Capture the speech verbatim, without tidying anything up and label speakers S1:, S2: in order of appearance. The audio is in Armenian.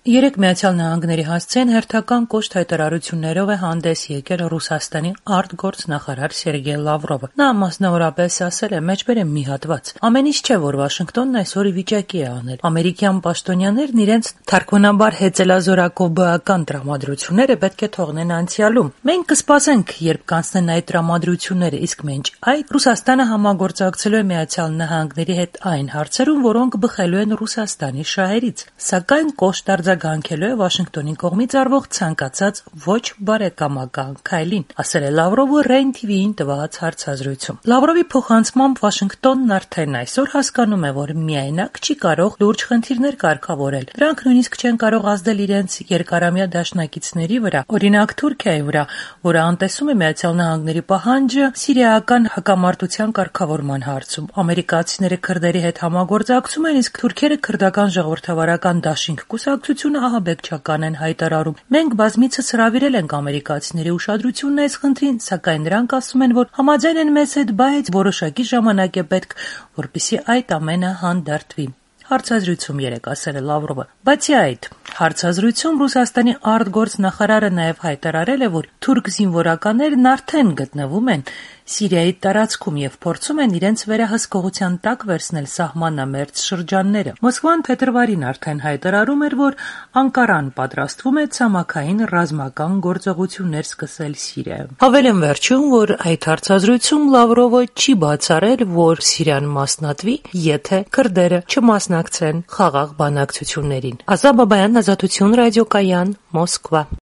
S1: Երեք Միացյալ Նահանգների հասցեն հերթական կոշտ հայտարարություններով է հանդես եկել Ռուսաստանի արտգործնախարար Սերգեյ Լավրովը։ Նա մասնավորապես ասել է. «Մեջբեր եմ մի հատված. ամեն ինչ չէ, որ Վաշինգտոնն այսօր ի վիճակի է անել։ Ամերիկյան պաշտոնյաներն իրենց թարգմանաբար հեծելազորակով բական տրամադրությունները պետք է թողնեն անցյալում։ Մենք կսպասենք, երբ կանցնեն այդ տրամադրությունները, իսկ մինչ այդ Ռուսաստանը համագործակցելու է Միացյալ Նահանգների հետ այն հարցերում, որոնք բխելու են Ռուսաստանի շահերից, սակայն կոշտ արձագանքելու է Վաշինգտոնի կողմից արվող ցանկացած ոչ բարեկամական քայլին», ասել է Լավրովը Rain T V-ին տված հարցազրույցում։ Լավրովի փոխանցմամբ Վաշինգտոնն արդեն այսօր հասկանում է, որ միայնակ չի կարող լուրջ խնդիրներ կարգավորել։ Դրանք նույնիսկ չեն կարող ազդել իրենց երկարամյա դաշնակիցների վրա, օրինակ Թուրքիայի վրա, որը անտեսում է Միացյալ Նահանգների պահանջը սիրիական հակամարտության կարգավորման հարցում։ Ամերիկացիները քրդերի հետ համագործակցում են, իսկ թուրքերը քրդական ժողովրդավարական դաշինք կուսակցությունը ահաբեկչական են հայտարարում։ Մենք բազմիցս հրավիրել ենք ամերիկացիների ուշադրությունն այս խնդրին, սակայն նրանք ասում են, որ համաձայն են մեզ հետ, բայց որոշակի ժամանակ է պետք, որպեսզի այդ ամենը հանդարտվի։ Հարցազրույցում երեկ ասել է Լավրովը։ Բացի այդ, հարցազրույցում Ռուսաստանի արտգործնախարարը նաև հայտարարել է, որ թուրք զինվորականներն արդեն գտնվում են Սիրիայի տարածքում եւ փորձում են իրենց վերահսկողության տակ վերցնել սահմանամերձ շրջանները։ Մոսկվան փետրվարին արդեն հայտարարում էր, որ Անկարան պատրաստվում է ցամաքային ռազմական գործողություններ սկսել Սիրիայում։ Հավելեմ վերջում, որ այդ հարցազրույցում Լավրովը չի բացառել, որ Սիրիան մասնատվի, եթե քրդերը չմասնակցեն խաղաղ բանակցություններին։ Ազատ Բաբայան, Ազատություն ռադիոկայան, Մոսկվա։